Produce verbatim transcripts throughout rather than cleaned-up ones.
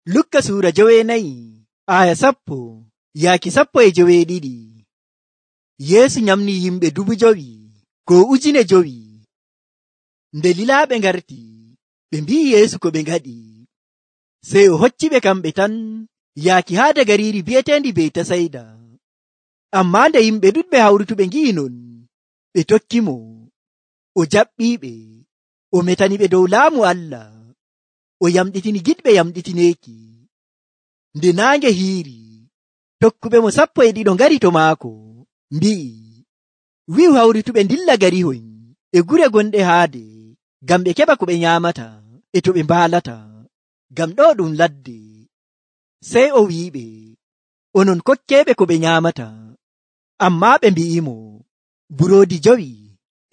Lukka suura joweenayi aya sappo yaaki sappo e joweeɗiɗi. Yeesu nyamni yimɓe dubu jowi ko ujune jowi. Nde lilaaɓe ngarti, ɓe mbi'i Yeesu ko ɓe ngaɗi. Sey o hocciɓe kamɓe tan yaaki haade gariiri bi'eteendi Beytasayda. Ammaa nde yimɓe ɗuɗɓe hawrutuɓe ngi'i non, ɓe tokkimo. O jaɓɓiiɓe, o metaniɓe dow laamu Allah, o yamɗitini giɗɓe yamɗitineeki. Nde naange hiiri, tokkuɓe mo sappo e ɗiɗo ngari to maako, mbi'i, wi'u hawrutuɓe ndilla garihoy e gure gonɗe haade, ngam ɓe keɓa ko ɓe nyaamata e to ɓe mbaalata, ngam ɗo ɗum ladde. Sey o wi'iɓe, onon kokkeeɓe ko ɓe nyaamata. Ammaa ɓe mbi'imo, buroodi jowi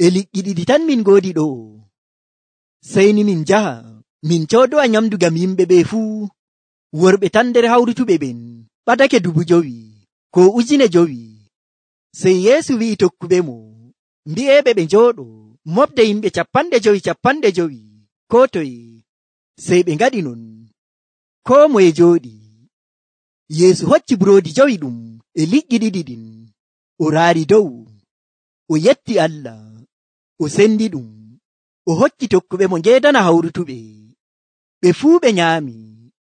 e liƴƴi ɗiɗi tan min ngoodi ɗo. Sey ni min njaha min coodowa nyamdu ngam yimɓe ɓe fuu. Worɓe tan nder hawrutuɓe ɓen ɓadake dubu jowi ko ujune jowi. Sey Yeesu wi'i tokkuɓe mo, mbi'eɓe ɓe njooɗo mofde yimɓe capanɗe jowi capanɗe jowi koo toye. Sey ɓe ngaɗi non, koo moye jooɗi. Yeesu hocci buroodi jowi ɗum e liƴƴi ɗiɗi ɗin, o raari dow, o yetti Allah, o sendi ɗum, o hokki tokkuɓe mo ngeedana hawrutuɓe. Ɓe fuu ɓe nyaami,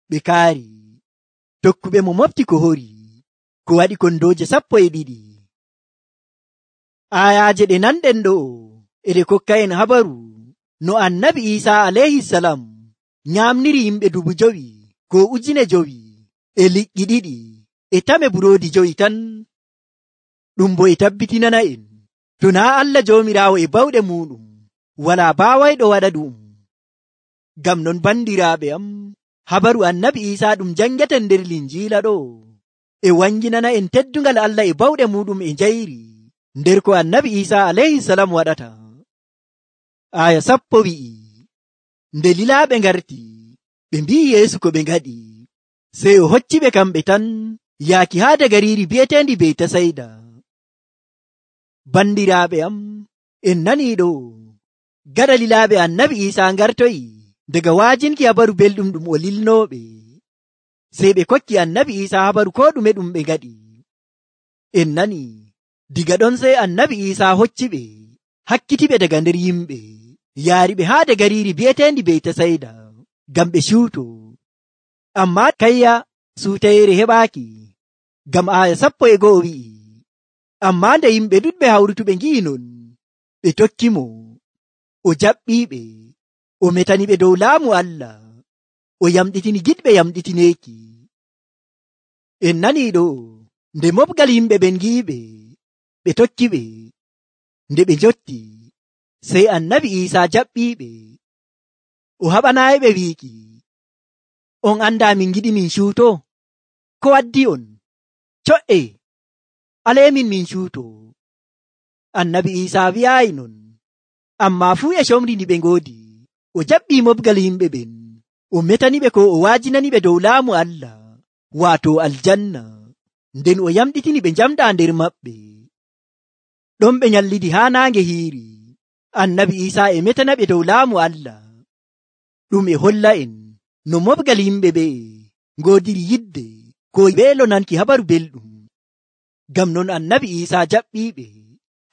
ɓe kaari. Tokkuɓe mo mofti ko hori, ko waɗi kondooje sappo e ɗiɗi. Ayaaje ɗe nanɗen ɗo e ɗe kokka'en habaru no annabi Iisaa alayhisalam nyaamniri yimɓe dubu jowi ko ujune jowi e liƴƴi ɗiɗi e tame buroodi jowi tan. Ɗum bo e tabbitinana en to naa Allah Joomiraawo e bawɗe muuɗum walaa baawayɗo waɗa ɗum. Ngam non bandiraaɓe am, habaru annabi Iisaa ɗum jangaten nder Linjiila ɗo e wanginana en teddungal Allah e bawɗe muuɗum e njayri nder ko annabi Iisaa alayhisalam waɗata. Aya sappo wi'i, nde lilaaɓe ngarti, ɓe mbi'i Yeesu ko ɓe ngaɗi. Sey o hocciɓe kamɓe tan yaaki haade gariiri bi'eteendi Beytasayda. Bandiraaɓe am, en nanii ɗo, gaɗa lilaaɓe annabi Iisaa ngartoyi daga waajinki habaru belɗum ɗum o lilnooɓe. Sey ɓe kokki annabi Iisaa habaru koo ɗume ɗum ɓe ngaɗi. En nani, diga ɗon sey annabi Iisaa hocciɓe hakkitiɓe daga nder yimɓe, yaariɓe haade gariiri bi'eteendi Beytasayda ngam ɓe ciwto. Ammaa kayya suutayeere heɓaaki, ngam aya sappo e go'o wi'i, ammaa nde yimɓe ɗuɗɓe hawrutuɓe ngi'i non, ɓe tokkimo. O jaɓɓiiɓe, o metaniɓe dow laamu Allah, o yamɗitini giɗɓe yamɗitineeki. En nanii ɗo, nde mofgal yimɓe ɓen ngi'iɓe, ɓe tokkiɓe. Nde ɓe njotti, sey annabi Iisaa jaɓɓiiɓe, o haɓanaayiɓe wiiki, on andaa min giɗi min cuuto? Ko waddi on? Co''e, aleemin min cuuto. Annabi Iisaa wi'aayi non, ammaa fuu e comri ndi ɓe ngoodi, o jaɓɓii mofgal yimɓe ɓen, o metaniɓe ko o waajinaniɓe dow laamu Allah, waato aljanna, nden o yamɗitini ɓe njamɗaa nder maɓɓe. Ɗon ɓe nyallidi haa naange hiiri, annabi Iisaa e metanaɓe dow laamu Allah. Ɗum e holla en no mofgal yimɓe ɓe ngoodiri yidde ko weelo nanki habaru belɗum. Ngam non annabi Iisaa jaɓɓiiɓe,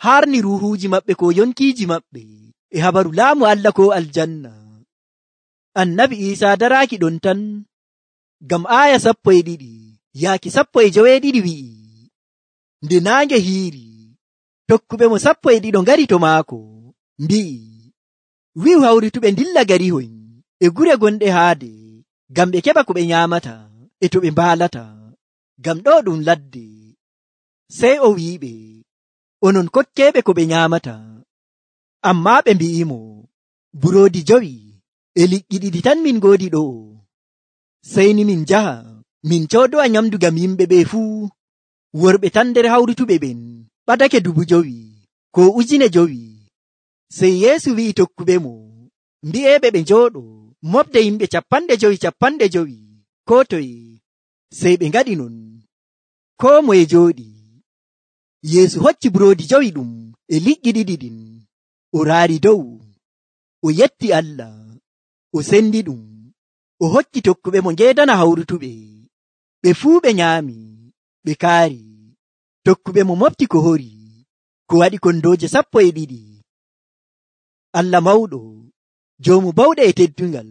haarni ruuhuuji maɓɓe ko yonkiiji maɓɓe e habaru laamu Allah ko aljanna. Annabi Iisaa daraaki ɗon tan, ngam aaya sappo e ɗiɗi yaaki sappo e joweeɗiɗi wi'i, nde naange hiiri, tokkuɓe mo sappo e ɗiɗo ngari to maako, mbi'i, wi'u hawrutuɓe ndilla garihoy e gure gonɗe haade, ngam ɓe keɓa ko ɓe nyaamata e to ɓe mbaalata, ngam ɗo ɗum ladde. Sey o wi'iɓe, onon kokkeeɓe ko ɓe nyaamata. Ammaa ɓe mbi'imo, buroodi jowi e liƴƴi ɗiɗi tan min ngoodi ɗo. Sey ni min njaha min coodowa nyamdu ngam yimɓe ɓe fuu. Worɓe tan nder hawrutuɓe ɓen ɓadake dubu jowi ko ujune jowi. Sey Yeesu wi'i tokkuɓe mo, mbi'eɓe ɓe njooɗo mofde yimɓe capanɗe jowi capanɗe jowi koo toye. Sey ɓe ngaɗi non, koo moye jooɗi. Yeesu hocci buroodi jowi ɗum e liƴƴi ɗiɗi ɗin, o raari dow, o yetti Allah, o sendi ɗum, o hokki tokkuɓe mo ngeedana hawrutuɓe. Ɓe fuu ɓe nyaami, ɓe kaari. Tokkuɓe mo mofti ko hori, ko waɗi kondooje sappo e ɗiɗi. Allah mawɗo, joomu bawɗe e teddungal,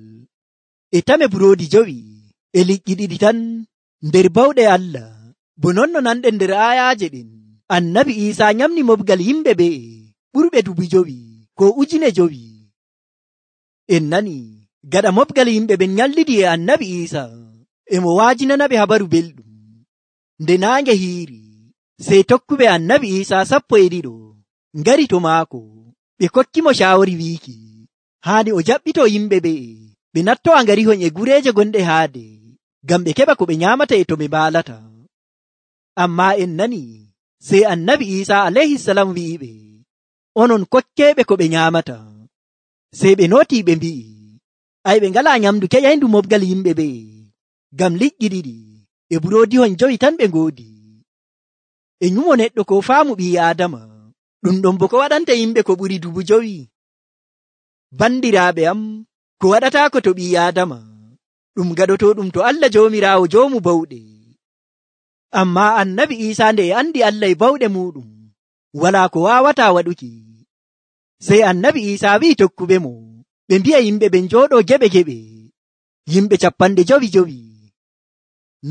e tame buroodi jowi e liƴƴi ɗiɗi tan nder bawɗe Allah. Bo non no nanɗen nder aayaaje ɗen, Annabi Iisaa nyamni mofgal yimɓe ɓe'e ɓurɓe dubu jowi ko ujune jowi. En nani gaɗa mofgal yimɓe ɓen nyallidi e Annabi Iisaa, e mo waajinanaɓe habaru belɗum. Nde naange hiiri, sey tokkuɓe Annabi Iisaa sappo e ɗiɗo ngari to maako. Ɓe kokki mo shaawari wiiki haani o jaɓɓito yimɓe ɓe'e ɓe nattowa ngarihon e gureeje gonɗe haade, ngam ɓe keɓa ko ɓe nyaamata e to ɓe mbaalata. Ammaa en nani sey Annabi Iisaa alayhisalam wi'iɓe, onon kokkeeɓe ko ɓe nyaamata. Sey ɓe nootii ɓe mbi'i, ay ɓe ngalaa nyamdu keƴayndu mofgal yimɓe ɓe'e, ngam liƴƴi ɗiɗi e buroodihon jowi tan ɓe ngoodi. E nyumo neɗɗo ko faamu ɓii Aadama, ɗum ɗon bo ko waɗanta yimɓe ko ɓuri dubu jowi. Bandiraaɓe am, ko waɗataako to ɓii Aadama, ɗum gaɗotooɗum to Allah Joomiraawo joomu bawɗe. Ammaa Annabi Iisaa nde e andi Allah e bawɗe muuɗum, walaa ko waawataa waɗuki. Sey Annabi Iisaa wi'i tokkuɓe mo ɓe mbi'a yimɓe ɓen njooɗoo geɓe geɓe, yimɓe capanɗe jowi jowi.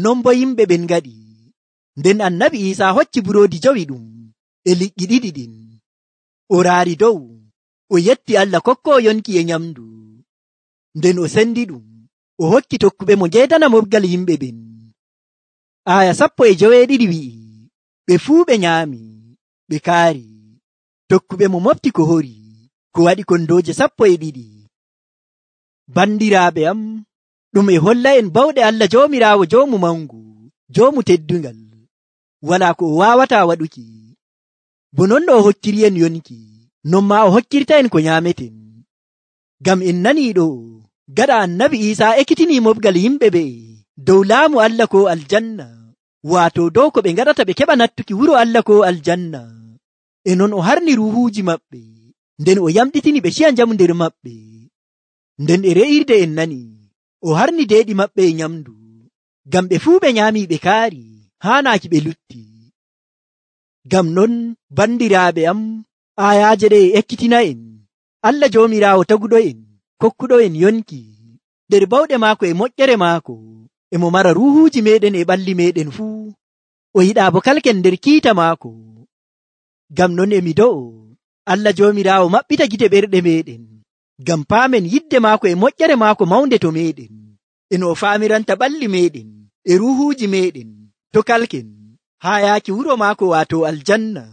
Non bo yimɓe ɓen ngaɗi. Nden Annabi Iisaa hocci buroodi jowi ɗum e liƴƴi ɗiɗi ɗin, o raari dow, o yetti Allah kokkoo yonki e nyamdu. Nden o sendi ɗum, o hokki tokkuɓe mo ngeedana mofgal yimɓe ɓen. Aya sappo e joweeɗiɗi wi'i, ɓe fuu ɓe nyaami, ɓe kaari. Tokkuɓe mo mofti ko hori, ko waɗi kondooje sappo e ɗiɗi. Bandiraaɓe am, ɗum e holla en bawɗe Allah Joomiraawo joomu mangu, joomu teddungal, walaa ko o waawataa waɗuki. Bo non no o hokkiri en yonki, non maa o hokkirta en ko nyaameten. Ngam en nanii ɗo, gaɗa Annabi Iisaa ekkitinii mofgal yimɓe ɓe'e dow laamu Allah ko aljanna, waato dow ko ɓe ngaɗata ɓe keɓa nattuki wuro Allah ko aljanna. E non o harni ruuhuuji maɓɓe, nden o yamɗitini ɓe ciya njamu nder maɓɓe. Nden e re'irde en nani, o harni deeɗi maɓɓe e nyamdu, ngam ɓe fuu ɓe nyaami ɓe kaari, haanaaki ɓe lutti. Ngam non, bandiraaɓe am, aayaaje ɗe e ekkitina en Allah Joomiraawo taguɗo en, kokkuɗo en yonki, nder bawɗe maako e moƴƴere maako, e mo mara ruuhuuji meɗen e ɓalli meɗen fuu, o yiɗaa bo kalken nder kiita maako. Ngam non emi do'o Allah Joomiraawo maɓɓita gite ɓerɗe meɗen, ngam paamen yidde maako e moƴƴere maako mawnde to meɗen, e no o faamiranta ɓalli meɗen e ruuhuuji meɗen to kalken, haa yaaki wuro maako waato aljanna,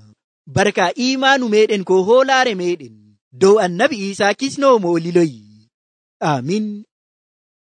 barka iimaanu meɗen ko hoolaare meɗen dow Annabi Iisaa kisnoowo mo o liloyi. Amin.